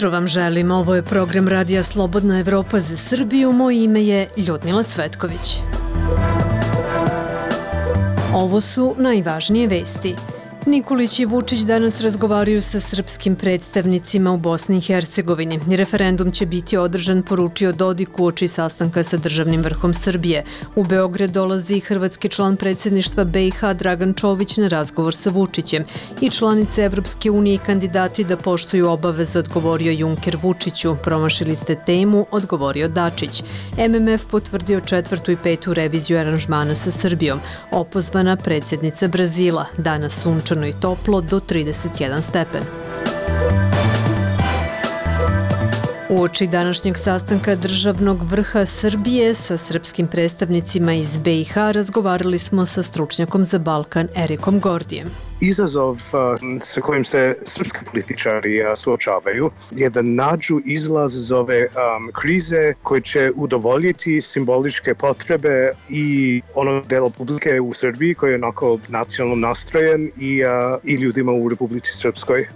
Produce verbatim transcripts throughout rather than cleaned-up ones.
jutro vam želim. Ovo je program Radija Slobodna Evropa za Srbiju. Moje ime je Ljudmila Cvetković. Ovo su najvažnije vesti. Nikolić i Vučić danas razgovaraju sa srpskim predstavnicima u Bosni i Hercegovini. Referendum će biti održan, poručio Dodik uoči sastanka sa državnim vrhom Srbije. U Beograd dolazi i hrvatski član predsjedništva B i H Dragan Čović na razgovor sa Vučićem. I članice Evropske unije i kandidati da poštuju obaveze, odgovorio Juncker Vučiću. Promašili ste temu, odgovorio Dačić. M M F potvrdio četvrtu i petu reviziju aranžmana sa Srbijom. Opozvana predsjednica Brazila. Danas sunčano i toplo do trideset jedan stepen. Uoči današnjeg sastanka državnog vrha Srbije sa srpskim predstavnicima iz B i H razgovarali smo sa stručnjakom za Balkan Erikom Gordijem. Izazov sa kojim se srpski političari suočavaju je da nađu izlaz iz ove um, krize koji će udovoljiti simboličke potrebe i onog dela publike u Srbiji koji je onako nacionalno nastrojen i, uh, i ljudima u Republici Srpskoj.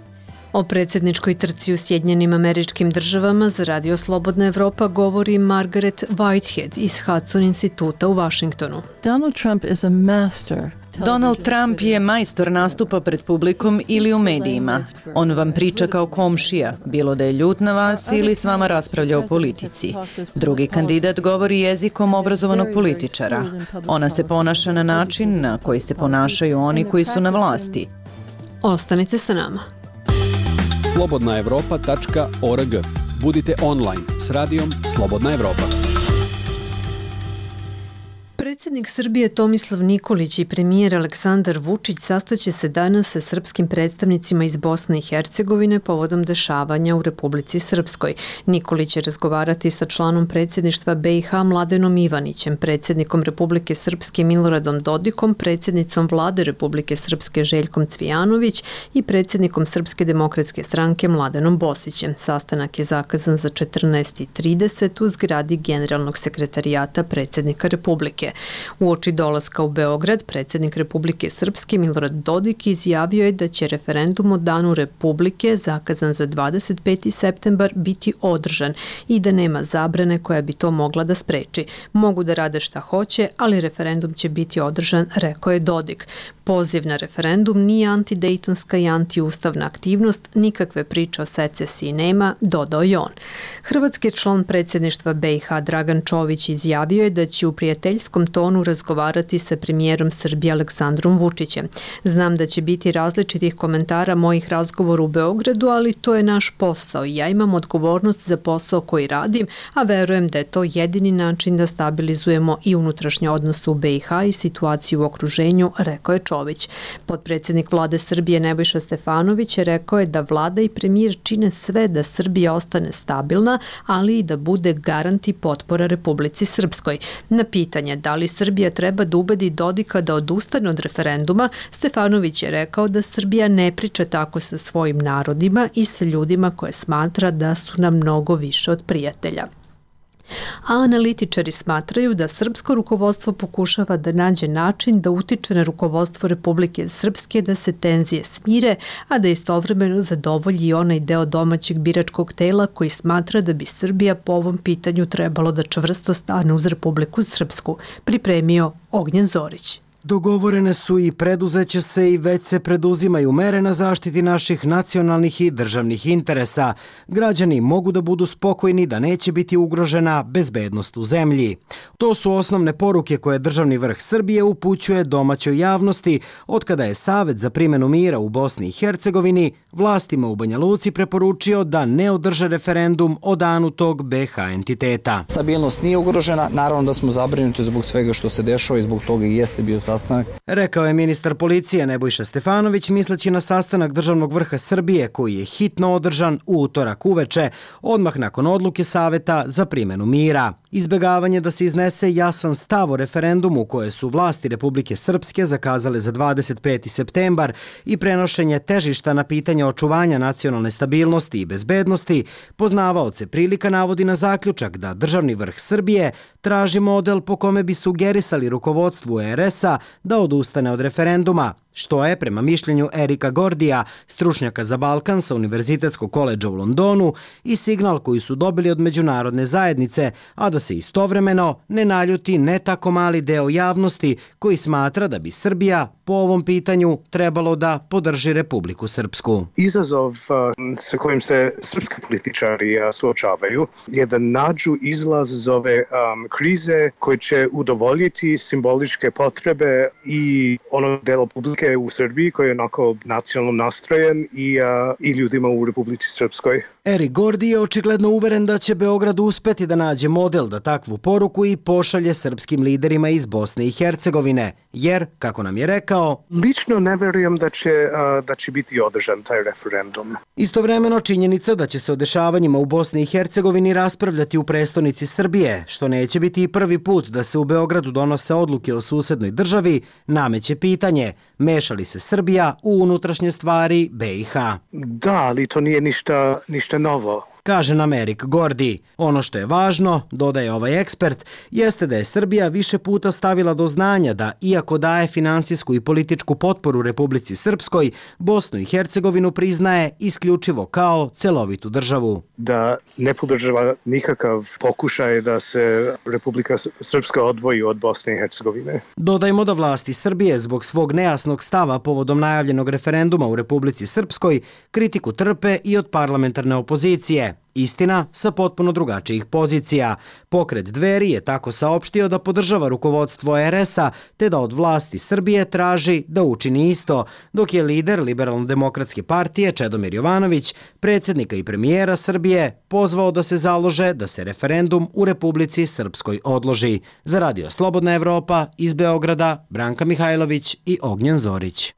O predsjedničkoj trci u Sjedinjenim Američkim Državama za Radio Slobodna Evropa govori Margaret Whitehead iz Hudson instituta u Vašingtonu. Donald Trump is a master. Donald Trump je majstor nastupa pred publikom ili u medijima. On vam priča kao komšija, bilo da je ljut na vas ili s vama raspravlja o politici. Drugi kandidat govori jezikom obrazovanog političara. Ona se ponaša na način na koji se ponašaju oni koji su na vlasti. Ostanite sa nama. slobodna evropa tačka org. Budite online s radijom Slobodna Evropa. Predsjednik Srbije Tomislav Nikolić i premijer Aleksandar Vučić sastaće se danas sa srpskim predstavnicima iz Bosne i Hercegovine povodom dešavanja u Republici Srpskoj. Nikolić će razgovarati sa članom predsjedništva B i H Mladenom Ivanićem, predsjednikom Republike Srpske Miloradom Dodikom, predsjednicom vlade Republike Srpske Željkom Cvijanović i predsjednikom Srpske demokratske stranke Mladenom Bosićem. Sastanak je zakazan za četrnaest i trideset u zgradi Generalnog sekretarijata predsjednika Republike. Uoči dolaska u Beograd, predsjednik Republike Srpske Milorad Dodik izjavio je da će referendum o Danu Republike, zakazan za dvadeset peti septembar, biti održan i da nema zabrane koja bi to mogla da spreči. Mogu da rade šta hoće, ali referendum će biti održan, rekao je Dodik. Poziv na referendum nije antidejtonska i antiustavna aktivnost, nikakve priče o secesiji nema, dodao je on. Hrvatski član predsjedništva B i H Dragan Čović izjavio je da će u prijateljskom tonu razgovarati sa premijerom Srbije Aleksandrom Vučićem. Znam da će biti različitih komentara mojih razgovora u Beogradu, ali to je naš posao i ja imam odgovornost za posao koji radim, a verujem da je to jedini način da stabilizujemo i unutrašnje odnose u B i H i situaciju u okruženju, rekao je Čović. Potpredsjednik vlade Srbije Nebojša Stefanović je rekao je da vlada i premijer čine sve da Srbija ostane stabilna, ali i da bude garant i potpora Republici Srpskoj. Na pitanje da li Srbija treba da ubedi Dodika da odustane od referenduma, Stefanović je rekao da Srbija ne priča tako sa svojim narodima i sa ljudima koje smatra da su nam mnogo više od prijatelja. A analitičari smatraju da srpsko rukovodstvo pokušava da nađe način da utiče na rukovodstvo Republike Srpske da se tenzije smire, a da istovremeno zadovolji onaj deo domaćeg biračkog tela koji smatra da bi Srbija po ovom pitanju trebalo da čvrsto stane uz Republiku Srpsku, pripremio Ognjen Zorić. Dogovorene su i preduzeće se i već se preduzimaju mere na zaštiti naših nacionalnih i državnih interesa. Građani mogu da budu spokojni da neće biti ugrožena bezbednost u zemlji. To su osnovne poruke koje državni vrh Srbije upućuje domaćoj javnosti od kada je Savet za primjenu mira u Bosni i Hercegovini vlastima u Banja Luci preporučio da ne održe referendum o danu tog B H entiteta. Stabilnost nije ugrožena, naravno da smo zabrinuti zbog svega što se dešava i zbog toga i jeste bio sastanak. Rekao je ministar policije Nebojša Stefanović misleći na sastanak državnog vrha Srbije koji je hitno održan u utorak uveče, odmah nakon odluke Saveta za primjenu mira. Izbegavanje da se iznese jasan stav o referendumu koje su vlasti Republike Srpske zakazale za dvadeset peti septembar i prenošenje težišta na pitanje očuvanja nacionalne stabilnosti i bezbednosti, poznavaoce prilika navodi na zaključak da državni vrh Srbije traži model po kome bi sugerisali rukovodstvu R S-a da odustane od referenduma, što je, prema mišljenju Erika Gordija, stručnjaka za Balkan sa Univerzitetskog koledža u Londonu, i signal koji su dobili od međunarodne zajednice, a da se istovremeno ne naljuti ne tako mali deo javnosti koji smatra da bi Srbija po ovom pitanju trebalo da podrži Republiku Srpsku. Izazov sa kojim se srpski političari suočavaju je da nađu izlaz iz ove um, krize koji će udovoljiti simboličke potrebe i ono delo publike u Srbiji koji je onako nacionalno nastrojen i, uh, i ljudima u Republici Srpskoj. Erik Gordi je očigledno uveren da će Beograd uspeti da nađe model da takvu poruku i pošalje srpskim liderima iz Bosne i Hercegovine, jer, kako nam je rekao, lično ne verujem da će, uh, da će biti održan taj referendum. Istovremeno činjenica da će se o dešavanjima u Bosni i Hercegovini raspravljati u prestonici Srbije, što neće biti i prvi put da se u Beogradu donose odluke o susednoj državi, nameće pitanje, meša li se Srbija u unutrašnje stvari be i ha? Da, ali to nije ništa, ništa novo. Kaže nam Erik Gordi. Ono što je važno, dodaje ovaj ekspert, jeste da je Srbija više puta stavila do znanja da, iako daje finansijsku i političku potporu Republici Srpskoj, Bosnu i Hercegovinu priznaje isključivo kao celovitu državu. Da ne podržava nikakav pokušaj da se Republika Srpska odvoji od Bosne i Hercegovine. Dodajmo da vlasti Srbije zbog svog nejasnog stava povodom najavljenog referenduma u Republici Srpskoj kritiku trpe i od parlamentarne opozicije. Istina, sa potpuno drugačijih pozicija. Pokret Dveri je tako saopštio da podržava rukovodstvo er es a, te da od vlasti Srbije traži da učini isto, dok je lider Liberalno-demokratske partije Čedomir Jovanović, predsjednika i premijera Srbije, pozvao da se založe da se referendum u Republici Srpskoj odloži. Za Radio Slobodna Evropa iz Beograda, Branka Mihajlović i Ognjen Zorić.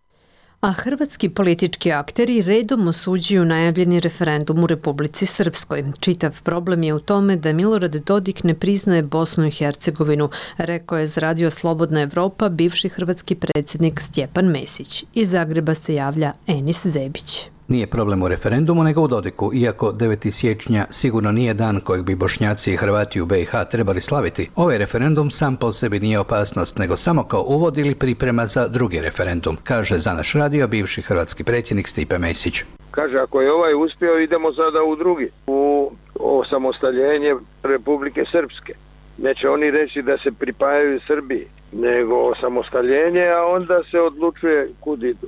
A hrvatski politički akteri redom osuđuju najavljeni referendum u Republici Srpskoj. Čitav problem je u tome da Milorad Dodik ne priznaje Bosnu i Hercegovinu, rekao je za Radio Slobodna Evropa bivši hrvatski predsjednik Stjepan Mesić. Iz Zagreba se javlja Enis Zebić. Nije problem u referendumu, nego u Dodiku, iako deveti siječnja sigurno nije dan kojeg bi Bošnjaci i Hrvati u be i ha trebali slaviti. Ovaj referendum sam po sebi nije opasnost, nego samo kao uvod ili priprema za drugi referendum, kaže za naš radio bivši hrvatski predsjednik Stipe Mesić. Kaže, ako je ovaj uspio, idemo sada u drugi, u osamostaljenje Republike Srpske. Neće oni reći da se pripajaju Srbiji, nego osamostaljenje, a onda se odlučuje kud idu.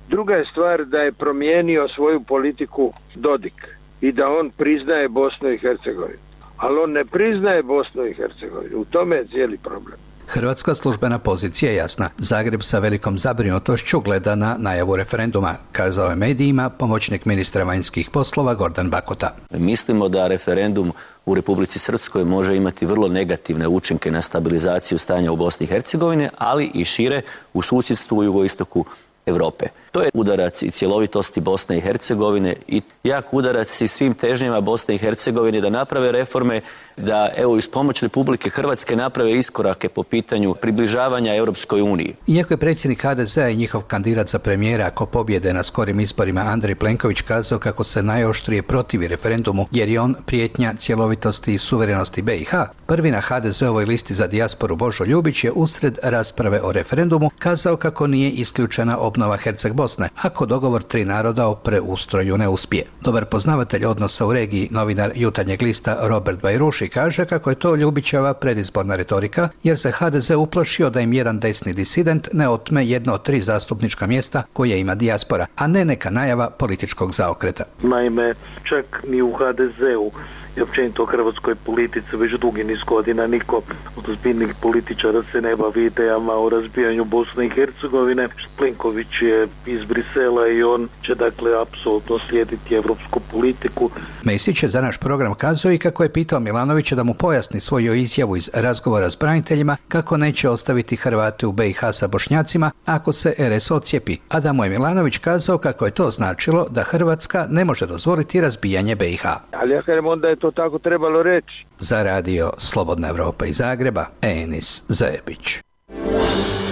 Druga je stvar da je promijenio svoju politiku Dodik i da on priznaje Bosnu i Hercegovinu. Ali on ne priznaje Bosnu i Hercegovinu. U tome je cijeli problem. Hrvatska službena pozicija je jasna. Zagreb sa velikom zabrinutošću gleda na najavu referenduma, kazao je medijima pomoćnik ministra vanjskih poslova Gordan Bakota. Mislimo da referendum u Republici Srpskoj može imati vrlo negativne učinke na stabilizaciju stanja u Bosni i Hercegovini, ali i šire u susjedstvu u jugoistoku Europe. To je udarac i cjelovitosti Bosne i Hercegovine i jak udarac i svim težnjama Bosne i Hercegovine da naprave reforme, da evo iz pomoć Republike Hrvatske naprave iskorake po pitanju približavanja Europskoj uniji. Iako je predsjednik ha de zea i njihov kandidat za premijera ako pobjede na skorim izborima Andrej Plenković kazao kako se najoštrije protivi referendumu jer je on prijetnja cjelovitosti i suverenosti be i ha, prvi na ha de zeovoj listi za dijasporu Božo Ljubić je usred rasprave o referendumu kazao kako nije isključena obnova Herceg Bosne, ako dogovor tri naroda o preustroju ne uspije. Dobar poznavatelj odnosa u regiji, novinar Jutarnjeg lista Robert Bajruši kaže kako je to Ljubićeva predizborna retorika, jer se ha de ze uplašio da im jedan desni disident ne otme jedno od tri zastupnička mjesta koje ima dijaspora, a ne neka najava političkog zaokreta. Naime, čak ni u ha de zeu i općenito u hrvatskoj politici već dugi niz godina niko od ozbiljnih političara se ne bavi idejama o razbijanju Bosne i Hercegovine. Plenković je iz Brisela i on će dakle apsolutno slijediti evropsku politiku. Mesić je za naš program kazao i kako je pitao Milanovića da mu pojasni svoju izjavu iz razgovora s braniteljima kako neće ostaviti Hrvate u be i ha sa Bošnjacima ako se er es ocijepi, a da mu je Milanović kazao kako je to značilo da Hrvatska ne može dozvoliti razbijanje be i ha. Ali ja kažem onda je to tako trebalo reći. Za radio Slobodna Evropa iz Zagreba, Enis Zebić.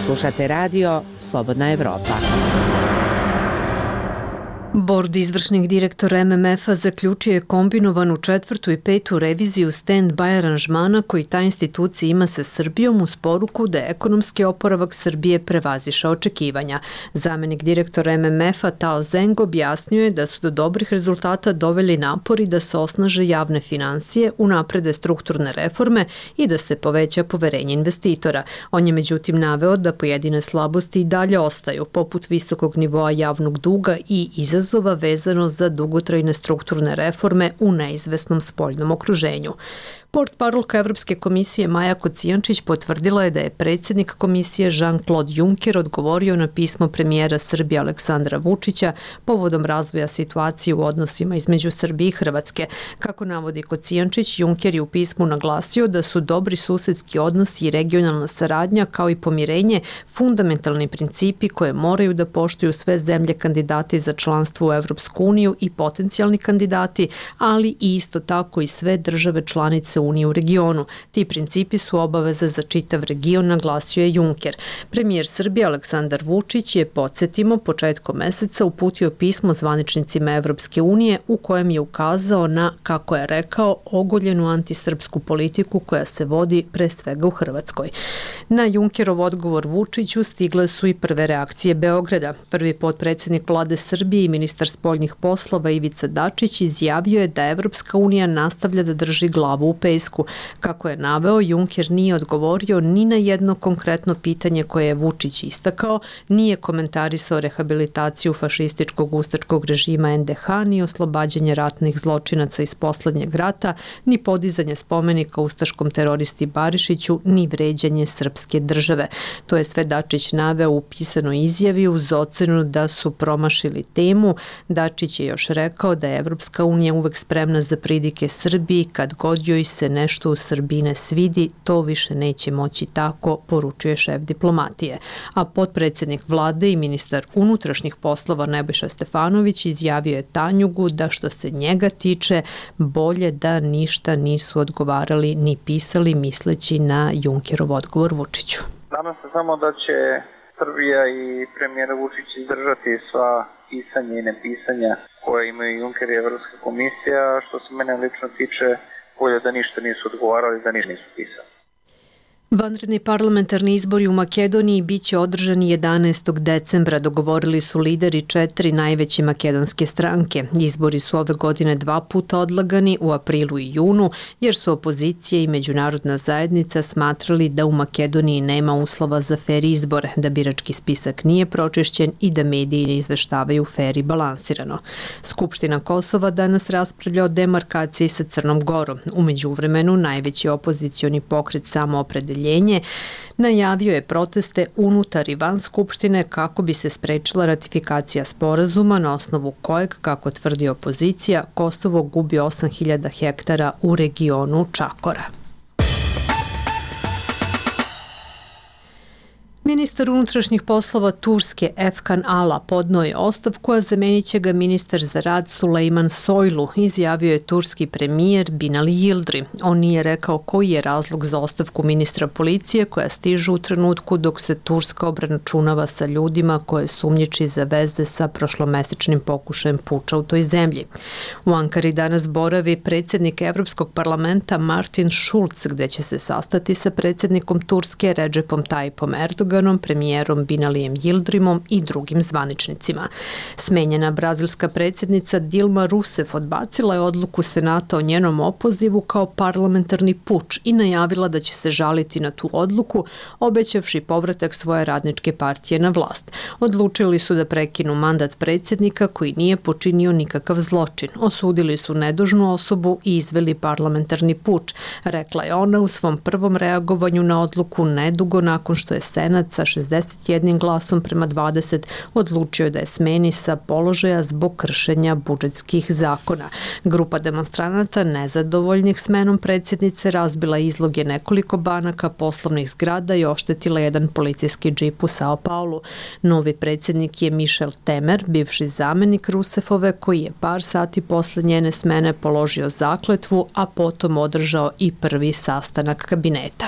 Slušate radio Slobodna Evropa. Bord izvršnih direktora M M F-a zaključio je kombinovanu četvrtu i petu reviziju stand-by aranžmana koji ta institucija ima sa Srbijom uz poruku da je ekonomski oporavak Srbije prevazišao očekivanja. Zamenik direktora M M F-a Tao Zeng objasnio je da su do dobrih rezultata doveli napori da se osnaže javne finansije, unaprede strukturne reforme i da se poveća poverenje investitora. On je međutim naveo da pojedine slabosti i dalje ostaju, poput visokog nivoa javnog duga i izazova izazova vezano za dugotrajne strukturne reforme u neizvesnom spoljnom okruženju. Portparolka Evropske komisije Maja Kocijančić potvrdila je da je predsjednik komisije Jean-Claude Juncker odgovorio na pismo premijera Srbije Aleksandra Vučića povodom razvoja situacije u odnosima između Srbije i Hrvatske. Kako navodi Kocijančić, Juncker je u pismu naglasio da su dobri susedski odnosi i regionalna saradnja kao i pomirenje fundamentalni principi koje moraju da poštuju sve zemlje kandidati za članstvo u Evropsku uniju i potencijalni kandidati, ali i isto tako i sve države članice Unije u regionu. Ti principi su obaveza za čitav region, naglasio je Juncker. Premijer Srbije Aleksandar Vučić je, podsjetimo, početkom meseca uputio pismo zvaničnicima Evropske unije u kojem je ukazao na, kako je rekao, ogoljenu antisrpsku politiku koja se vodi pre svega u Hrvatskoj. Na Junckerov odgovor Vučiću stigle su i prve reakcije Beograda. Prvi potpredsjednik vlade Srbije i ministar spoljnih poslova Ivica Dačić izjavio je da Evropska unija nastavlja da drži glavu u pesku. Kako je naveo, Juncker nije odgovorio ni na jedno konkretno pitanje koje je Vučić istakao, nije komentarisao rehabilitaciju fašističkog ustačkog režima N D H, ni oslobađanje ratnih zločinaca iz poslednjeg rata, ni podizanje spomenika ustaškom teroristi Barišiću, ni vređanje srpske države. To je sve Dačić naveo u pisanoj izjavi uz ocenu da su promašili temu. Dačić je još rekao da je Evropska unija uvek spremna za pridike Srbiji kad god joj se nešto u Srbiji ne svidi, to više neće moći tako, poručuje šef diplomatije. A potpredsjednik vlade i ministar unutrašnjih poslova Nebojša Stefanović izjavio je Tanjugu da što se njega tiče, bolje da ništa nisu odgovarali ni pisali misleći na Junckerov odgovor Vučiću. Nadam se samo da će Srbija i premijer Vučić izdržati sva pisanja i nepisanja koje imaju Juncker i Evropska komisija, što se mene lično tiče, bolje da ništa nisu odgovarali, da ništa nisu pisali. Vanredni parlamentarni izbori u Makedoniji biće održani jedanaestog decembra, dogovorili su lideri četiri najveće makedonske stranke. Izbori su ove godine dva puta odlagani, u aprilu i junu, jer su opozicija i međunarodna zajednica smatrali da u Makedoniji nema uslova za fer izbor, da birački spisak nije pročišćen i da mediji ne izveštavaju fer i balansirano. Skupština Kosova danas raspravlja o demarkaciji sa Crnom Gorom. U međuvremenu, najveći opozicioni pokret Samoopredeljenje najavio je proteste unutar i van Skupštine kako bi se sprečila ratifikacija sporazuma na osnovu kojeg, kako tvrdi opozicija, Kosovo gubi osam hiljada hektara u regionu Čakora. Ministar unutrašnjih poslova Turske Efkan Ala podnio je ostavku, a zamenit će ga ministar za rad Sulejman Soylu, izjavio je turski premijer Binali Yildirim. On nije rekao koji je razlog za ostavku ministra policije koja stižu u trenutku dok se Turska obračunava sa ljudima koje sumnjiči za veze sa prošlomesečnim pokušajem puča u toj zemlji. U Ankari danas boravi predsjednik Evropskog parlamenta Martin Schulz, gde će se sastati sa predsjednikom Turske Recepom Tayyipom Erdoganom, premijerom Binalijem Yildirimom i drugim zvaničnicima. Smenjena brazilska predsjednica Dilma Rousseff odbacila je odluku Senata o njenom opozivu kao parlamentarni puč i najavila da će se žaliti na tu odluku, obećavši povratak svoje radničke partije na vlast. Odlučili su da prekinu mandat predsjednika koji nije počinio nikakav zločin. Osudili su nedužnu osobu i izveli parlamentarni puč, rekla je ona u svom prvom reagovanju na odluku nedugo nakon što je Senat sa šezdeset jednim glasom prema dvadeset odlučio da je smeni sa položaja zbog kršenja budžetskih zakona. Grupa demonstranata nezadovoljnih smenom predsjednice razbila izloge nekoliko banaka, poslovnih zgrada i oštetila jedan policijski džip u Sao Paulu. Novi predsjednik je Michel Temer, bivši zamenik Rousseffove, koji je par sati posle njene smene položio zakletvu, a potom održao i prvi sastanak kabineta.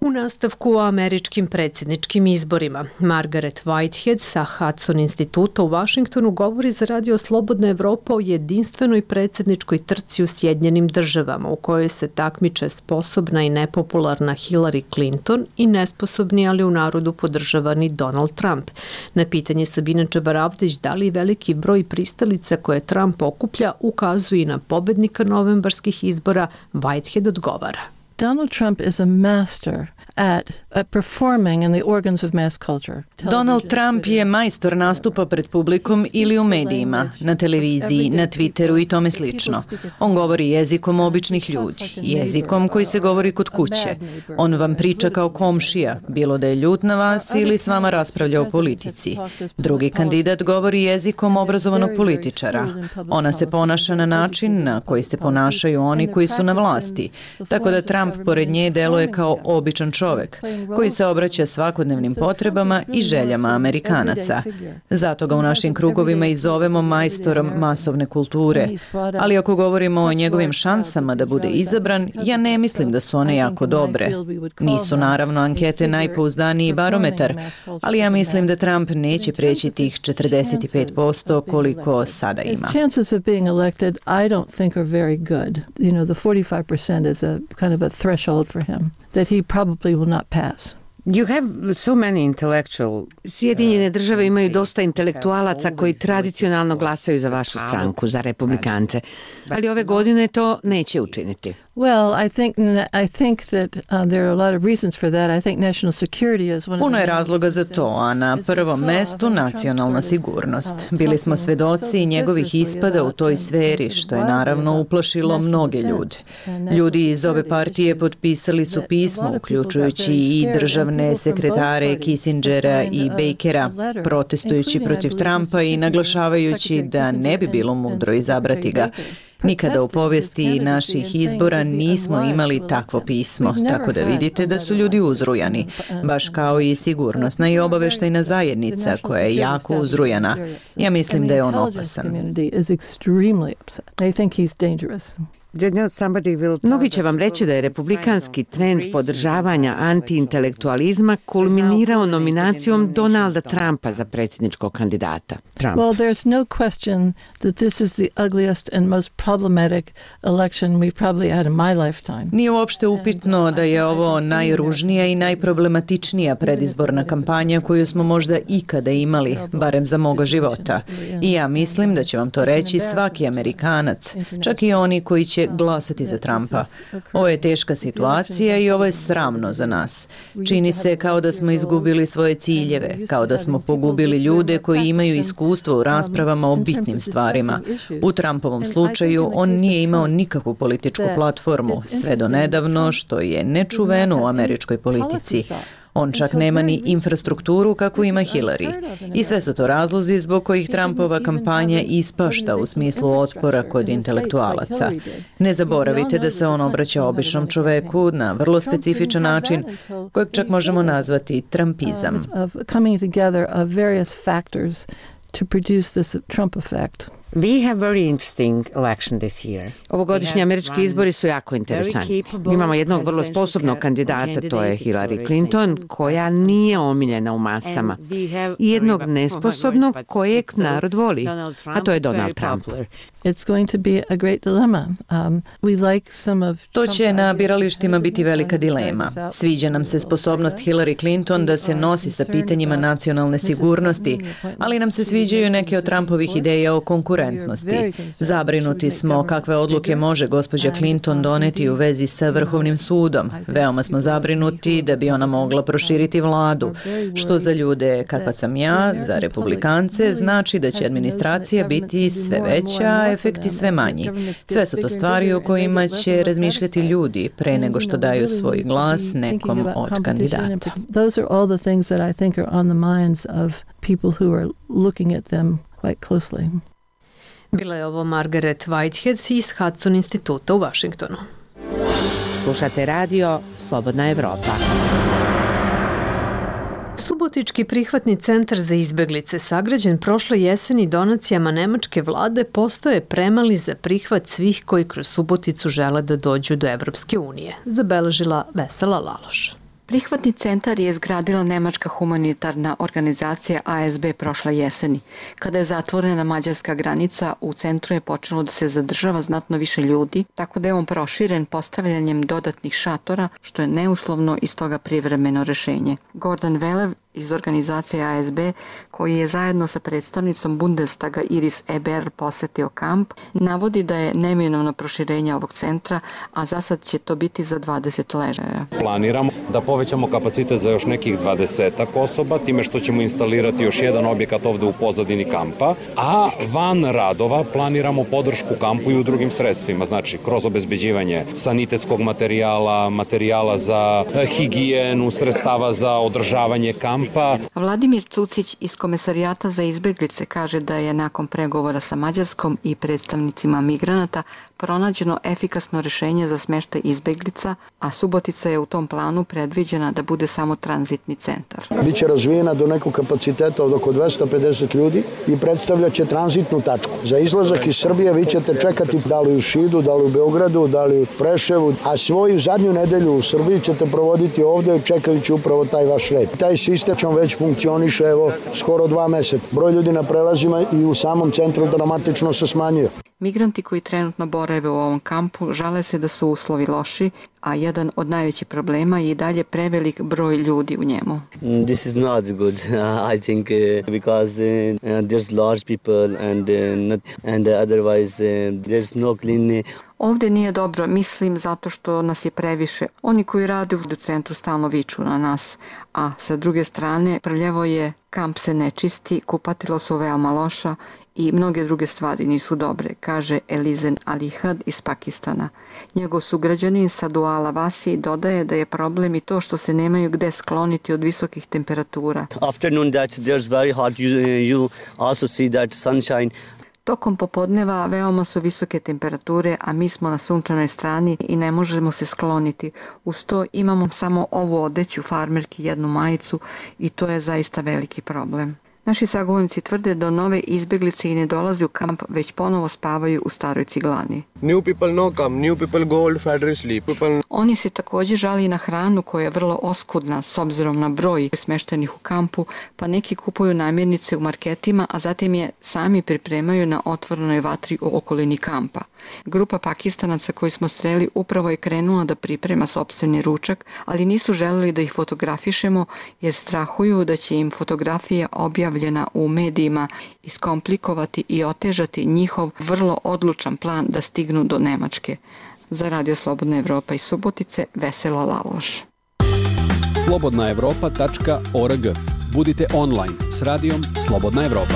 U nastavku o američkim predsjedničkim izborima. Margaret Whitehead sa Hudson instituta u Vašingtonu govori za radio Slobodna Evropa o jedinstvenoj predsjedničkoj trci u Sjedinjenim državama u kojoj se takmiče sposobna i nepopularna Hillary Clinton i nesposobni, ali u narodu podržavani Donald Trump. Na pitanje Sabine Čabaravdić da li veliki broj pristalica koje Trump okuplja ukazuje na pobednika novembarskih izbora, Whitehead odgovara. Donald Trump is a master at, at performing in the organs of mass culture. Donald Trump je majstor nastupa pred publikom ili u medijima, na televiziji, na Twitteru i tome slično. On govori jezikom običnih ljudi, jezikom koji se govori kod kuće. On vam priča kao komšija, bilo da je ljut na vas ili s vama raspravlja o politici. Drugi kandidat govori jezikom obrazovanog političara. Ona se ponaša na način na koji se ponašaju oni koji su na vlasti, tako da Trump pored nje deluje kao običan čovek, koji se obraća svakodnevnim potrebama i željama Amerikanaca. Zato ga u našim krugovima i zovemo majstorom masovne kulture. Ali ako govorimo o njegovim šansama da bude izabran, ja ne mislim da su one jako dobre. Nisu naravno ankete najpouzdaniji barometar, ali ja mislim da Trump neće preći tih četrdeset pet posto koliko sada ima. Chances of being elected, I don't think are very good. You know, the forty-five percent is a kind of a threshold for him that he probably will not pass. You have so many intellectual... Sjedinjene države imaju dosta intelektualaca koji tradicionalno glasaju za vašu stranku, za republikance, ali ove godine to neće učiniti. Well, I think I think that uh, there are a lot of reasons for that. I think national security is one of Puno je razloga za to, a na prvom mestu nacionalna sigurnost. Bili smo svedoci njegovih ispada u toj sferi, što je naravno uplašilo mnoge ljude. Ljudi iz ove partije potpisali su pismo, uključujući i državne sekretare Kissingera i Bakera, protestujući protiv Trumpa i naglašavajući da ne bi bilo mudro izabrati ga. Nikada u povijesti naših izbora nismo imali takvo pismo, tako da vidite da su ljudi uzrujani, baš kao i sigurnosna i obaveštajna zajednica koja je jako uzrujana. Ja mislim da je on opasan. Mnogi će vam reći da je republikanski trend podržavanja antiintelektualizma kulminirao nominacijom Donalda Trumpa za predsjedničkog kandidata. Trump. Well, there's no question that this is the ugliest and most problematic election we've probably had in my lifetime. Nije uopšte upitno da je ovo najružnija i najproblematičnija predizborna kampanja koju smo možda ikada imali, barem za moga života. I ja mislim da će vam to reći svaki Amerikanac, čak i oni koji će glasati za Trumpa. Ovo je teška situacija i ovo je sramno za nas. Čini se kao da smo izgubili svoje ciljeve, kao da smo pogubili ljude koji imaju iskustvo u raspravama o bitnim stvarima. U Trumpovom slučaju on nije imao nikakvu političku platformu, sve do nedavno, što je nečuveno u američkoj politici. On čak nema ni infrastrukturu kakvu ima Hillary. I sve su to razlozi zbog kojih Trumpova kampanja ispašta u smislu otpora kod intelektualaca. Ne zaboravite da se on obraća običnom čoveku na vrlo specifičan način, kojeg čak možemo nazvati trumpizam. We have very interesting election this year. Ovogodišnji američki izbori su jako interesantni. Mi imamo jednog vrlo sposobnog kandidata, to je Hillary Clinton, koja nije omiljena u masama. I jednog nesposobnog kojeg narod voli, a to je Donald Trump. It's going to be a great dilemma. Um, we like some of To će na biralištima biti velika dilema. Sviđa nam se sposobnost Hillary Clinton da se nosi sa pitanjima nacionalne sigurnosti, ali nam se sviđaju neke od Trumpovih ideja o konkurentnosti. Zabrinuti smo kakve odluke može gospođa Clinton doneti u vezi sa Vrhovnim sudom. Veoma smo zabrinuti da bi ona mogla proširiti vladu, što za ljude kakva sam ja, za republikance, znači da će administracija biti sve veća, efekti sve manji. Sve su to stvari o kojima će razmišljati ljudi pre nego što daju svoj glas nekom od kandidata. Those are all the things that I think are on the minds of people who are looking at them quite closely. Bila je ovo Margaret Whitehead iz Hudson instituta u Vašingtonu. Slušate radio Slobodna Evropa. Subotički prihvatni centar za izbeglice, sagrađen prošle jeseni donacijama nemačke vlade, postoje premali za prihvat svih koji kroz Suboticu žele da dođu do Evropske unije, zabeležila Vesela Laloš. Prihvatni centar je izgradila nemačka humanitarna organizacija A S B prošle jeseni. Kada je zatvorena mađarska granica, u centru je počelo da se zadržava znatno više ljudi, tako da je on proširen postavljanjem dodatnih šatora, što je neuslovno i stoga privremeno rešenje. Gordon Velev iz organizacije A S B, koji je zajedno sa predstavnicom Bundestaga Iris Eber posetio kamp, navodi da je neminovno proširenje ovog centra, a za sad će to biti za dvadeset ležaja. Planiramo da povećamo kapacitet za još nekih dvadesetak osoba, time što ćemo instalirati još jedan objekat ovde u pozadini kampa, a van radova planiramo podršku kampu i u drugim sredstvima, znači kroz obezbeđivanje sanitetskog materijala, materijala za higijenu, sredstava za održavanje kampa. Vladimir Cucić iz Komesarijata za izbeglice kaže da je nakon pregovora sa Mađarskom i predstavnicima migranata pronađeno efikasno rešenje za smeštaj izbeglica, a Subotica je u tom planu predviđena da bude samo tranzitni centar. Biće razvijena do nekog kapaciteta od oko dvesta pedeset ljudi i predstavljaće tranzitnu tačku. Za izlazak iz Srbije vi ćete čekati da li u Šidu, da li u Beogradu, da li u Preševu, a svoju zadnju nedelju u Srbiji ćete provoditi ovde čekajući upravo taj vaš red. Taj sistem već funkcioniše evo skoro dva meseca. Broj ljudi na prelazima i u samom centru dramatično se smanjuje. Migranti koji trenutno borave u ovom kampu žale se da su uslovi loši, a jedan od najvećih problema je i dalje prevelik broj ljudi u njemu. This is not good. I think uh, because uh, there's large people and uh, not, and otherwise uh, there's no clean. Ovde nije dobro, mislim, zato što nas je previše. Oni koji rade u centru stalno viču na nas, a sa druge strane prljevo je, kamp se ne čisti, kupatilo su veoma loša i mnoge druge stvari nisu dobre, kaže Elizen Alihad iz Pakistana. Njegov sugrađanin Saduala Vasi dodaje da je problem i to što se nemaju gde skloniti od visokih temperatura. Afternoon that there's very hot, you, you also see that sunshine. Tokom popodneva veoma su visoke temperature, a mi smo na sunčanoj strani i ne možemo se skloniti. Uz to imamo samo ovu odeću farmerki, jednu majicu i to je zaista veliki problem. Naši sagovornici tvrde da nove izbeglice i ne dolaze u kamp, već ponovo spavaju u staroj ciglani. New people no come, new people go old factory sleep. People... Oni se također žali na hranu koja je vrlo oskudna s obzirom na broj smeštenih u kampu, pa neki kupuju namirnice u marketima, a zatim je sami pripremaju na otvorenoj vatri u okolini kampa. Grupa Pakistanaca koju smo sreli upravo je krenula da priprema sopstveni ručak, ali nisu želeli da ih fotografišemo jer strahuju da će im fotografija objavljena u medijima iskomplikovati i otežati njihov vrlo odlučan plan da stignu do Nemačke. Za Radio Slobodna Evropa iz Subotice, Vesela Laloš. slobodna evropa tačka org. Budite online s radijom Slobodna Evropa.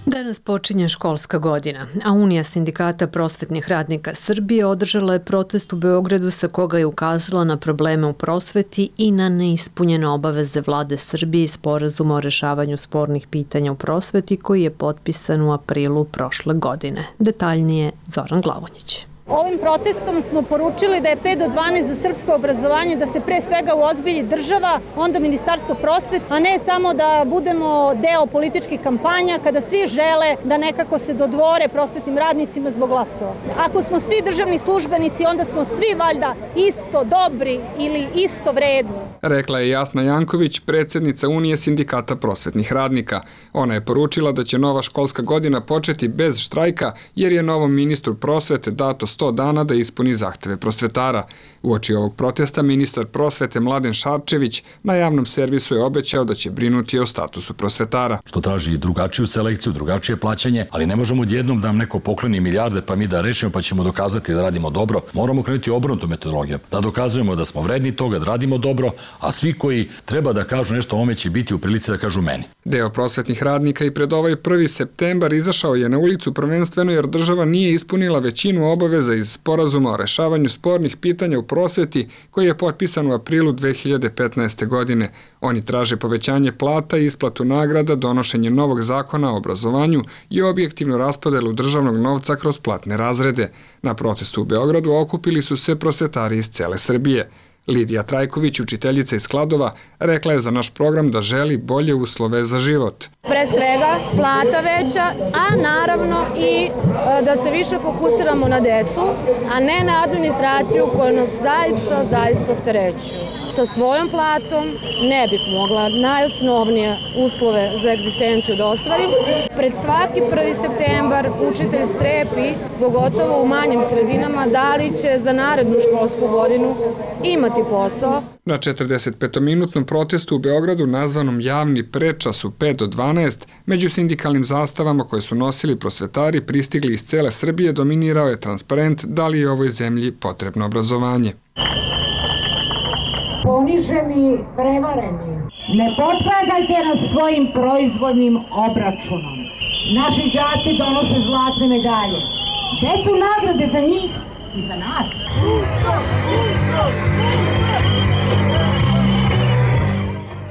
Danas počinje školska godina, a Unija sindikata prosvetnih radnika Srbije održala je protest u Beogradu sa koga je ukazala na probleme u prosveti i na neispunjene obaveze vlade Srbije i sporazuma o rešavanju spornih pitanja u prosveti koji je potpisan u aprilu prošle godine. Detaljnije Zoran Glavonjić. Ovim protestom smo poručili da je pet do dvanaest za srpsko obrazovanje, da se pre svega uozbilji država, onda Ministarstvo prosvete, a ne samo da budemo deo političkih kampanja kada svi žele da nekako se dodvore prosvetnim radnicima zbog glasova. Ako smo svi državni službenici, onda smo svi valjda isto dobri ili isto vredni. Rekla je Jasna Janković, predsjednica Unije sindikata prosvetnih radnika. Ona je poručila da će nova školska godina početi bez štrajka jer je novom ministru prosvete dato sto dana da ispuni zahteve prosvetara. Uoči ovog protesta ministar prosvete Mladen Šarčević na javnom servisu je obećao da će brinuti o statusu prosvetara. Što traži drugačiju selekciju, drugačije plaćanje, ali ne možemo odjednom da nam neko pokloni milijarde pa mi da rešimo pa ćemo dokazati da radimo dobro. Moramo krenuti obrnutu metodologiju, da dokazujemo da smo vredni toga, da radimo dobro, a svi koji treba da kažu nešto o ovome će biti u prilici da kažu meni. Deo prosvetnih radnika i pred ovaj prvi septembar izašao je na ulicu prvenstveno jer država nije ispunila većinu obaveza iz sporazuma o rešavanju spornih pitanja u prosveti koji je potpisan u aprilu dve hiljade petnaeste. godine. Oni traže povećanje plata, isplatu nagrada, donošenje novog zakona o obrazovanju i objektivnu raspodelu državnog novca kroz platne razrede. Na protestu u Beogradu okupili su se prosvetari iz cele Srbije. Lidija Trajković, učiteljica iz Kladova, rekla je za naš program da želi bolje uslove za život. Pre svega plata veća, a naravno i da se više fokusiramo na decu, a ne na administraciju koja nas zaista, zaista opterećuje. Sa svojom platom ne bih mogla najosnovnije uslove za egzistenciju da ostvarim. Pred svaki prvi septembar učitelj strepi, pogotovo u manjim sredinama, da li će za narednu školsku godinu imati posao. Na četrdesetpetominutnom protestu u Beogradu nazvanom Javni prečas u pet do dvanaest, među sindikalnim zastavama koje su nosili prosvetari pristigli iz cele Srbije, dominirao je transparent da li je ovoj zemlji potrebno obrazovanje. Poniženi, prevareni, ne potpadajte nas svojim proizvodnim obračunom. Naši đaci donose zlatne medalje. Gde su nagrade za njih i za nas?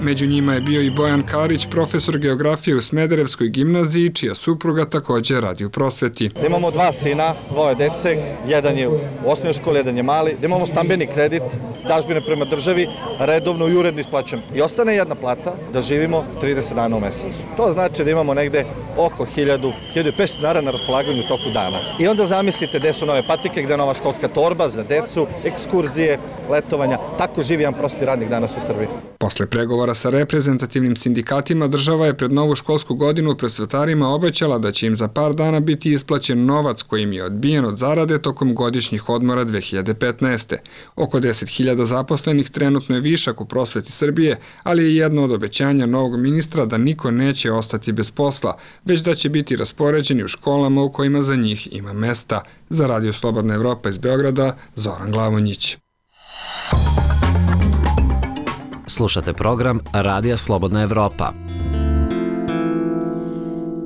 Među njima je bio i Bojan Karić, profesor geografije u Smederevskoj gimnaziji, čija supruga takođe radi u prosveti. Da imamo dva sina, dvoje dece, jedan je u osnovnoj školi, jedan je mali, da imamo stambeni kredit, dažbine prema državi, redovno i uredno isplaćujemo. I ostane jedna plata da živimo trideset dana u mesecu. To znači da imamo negde oko hiljadu, hiljadu i petsto dinara na raspolaganju u toku dana. I onda zamislite gde su nove patike, gde je nova školska torba za decu, ekskurzije, letovanja. Tako živi jedan prosti radnik danas u Srbiji. Posle pregovora sa reprezentativnim sindikatima, država je pred novu školsku godinu prosvetarima obećala da će im za par dana biti isplaćen novac koji im je odbijen od zarade tokom godišnjih odmora dve hiljade petnaeste. Oko deset hiljada zaposlenih trenutno je višak u prosveti Srbije, ali je jedno od obećanja novog ministra da niko neće ostati bez posla, već da će biti raspoređeni u školama u kojima za njih ima mesta. Za Radio Slobodna Evropa iz Beograda, Zoran Glavonjić. Slušate program Radija Slobodna Evropa.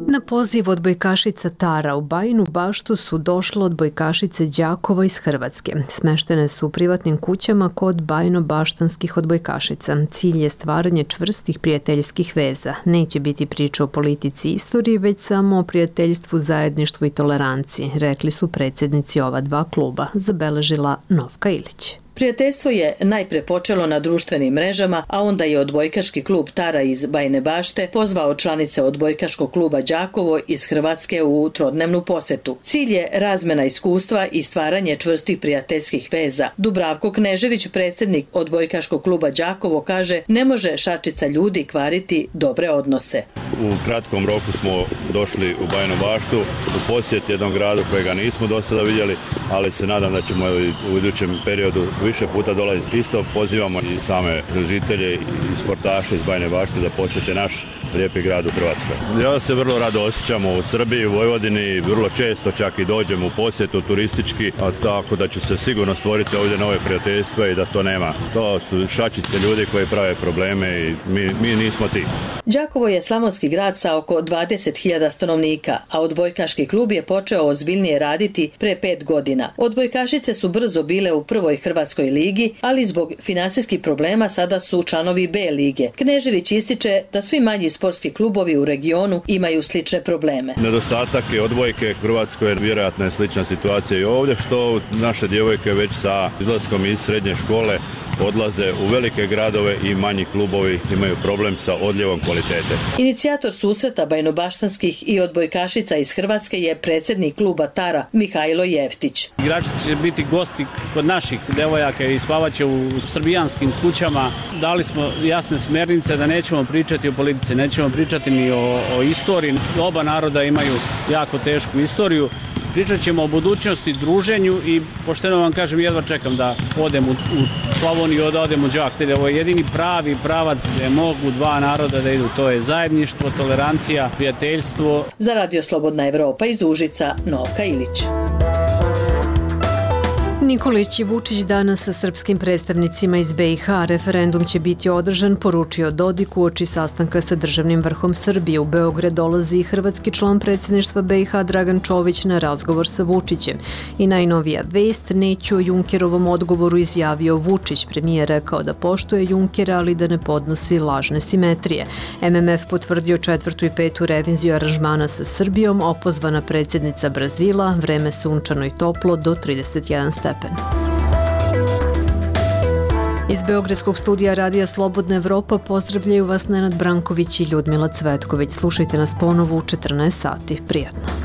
Na poziv odbojkašica Tara u Bajinu Baštu su došle odbojkašice Đakova iz Hrvatske. Smeštene su u privatnim kućama kod bajino-baštanskih odbojkašica. Cilj je stvaranje čvrstih prijateljskih veza. Neće biti priča o politici i istoriji, već samo o prijateljstvu, zajedništvu i toleranciji, rekli su predsjednici ova dva kluba, zabeležila Novka Ilić. Prijateljstvo je najpre počelo na društvenim mrežama, a onda je odbojkaški klub Tara iz Bajine Bašte pozvao članice odbojkaškog kluba Đakovo iz Hrvatske u trodnevnu posetu. Cilj je razmena iskustva i stvaranje čvrstih prijateljskih veza. Dubravko Knežević, predsjednik odbojkaškog kluba Đakovo, kaže ne može šačica ljudi kvariti dobre odnose. U kratkom roku smo došli u Bajinu Baštu u posjet jednom gradu kojega nismo do sada vidjeli, ali se nadam da ćemo u idućem periodu više puta dolaziti. Isto pozivamo i same žitelje i sportaše iz Bajine Bašte da posjete naš lijepi grad u Hrvatskoj. Ja se vrlo rado osjećam u Srbiji, u Vojvodini, vrlo često čak i dođem u posjetu turistički, a tako da će se sigurno stvoriti ovdje nove prijateljstva i da to nema. To su šačice ljudi koji prave probleme i mi, mi nismo ti. Đakovo je slavonski grad sa oko dvadeset hiljada stanovnika, a odbojkaški klub je počeo ozbiljnije raditi pre pet godina. Odbojkašice su brzo bile u prvoj Hrvatskoj ligi, ali zbog finansijskih problema sada su članovi B lige. Knežević ističe da svi manji sportski klubovi u regionu imaju slične probleme. Nedostatak je odbojke u Hrvatskoj, je vjerojatno je slična situacija i ovdje, što naše djevojke već sa izlaskom iz srednje škole odlaze u velike gradove i manji klubovi imaju problem sa odljevom kvalitete. Inicijator susreta bajnobaštanskih i odbojkašica iz Hrvatske je predsjednik kluba Tara Mihajlo Jeftić. Igrači će biti gosti kod naših devojaka i spavaće u srbijanskim kućama. Dali smo jasne smjernice da nećemo pričati o politici, nećemo pričati ni o, o istoriji. Oba naroda imaju jako tešku istoriju. Pričat ćemo o budućnosti, druženju i pošteno vam kažem, jedva čekam da odem u, u Slavoniju, da odem u Đak. Ovo je jedini pravi pravac gdje mogu dva naroda da idu. To je zajedništvo, tolerancija, prijateljstvo. Za Radio Slobodna Evropa iz Užica, Novka Ilić. Nikolić i Vučić danas sa srpskim predstavnicima iz B i H. Referendum će biti održan, poručio Dodik uoči sastanka sa državnim vrhom Srbije. U Beograd dolazi i hrvatski član predsjedništva B i H Dragan Čović na razgovor sa Vučićem. I najnovija vest, neću o Junkerovom odgovoru izjavio Vučić. Premijer rekao da poštuje Junkera, ali da ne podnosi lažne simetrije. M M F potvrdio četvrtu i petu reviziju aranžmana sa Srbijom, opozvana predsjednica Brazila, vreme sunčano i toplo do trideset jedan stepen. Iz Beogradskog studija Radija Slobodna Evropa pozdravljaju vas Nenad Branković i Ljudmila Cvetković. Slušajte nas ponovo u četrnaest sati. Prijatno.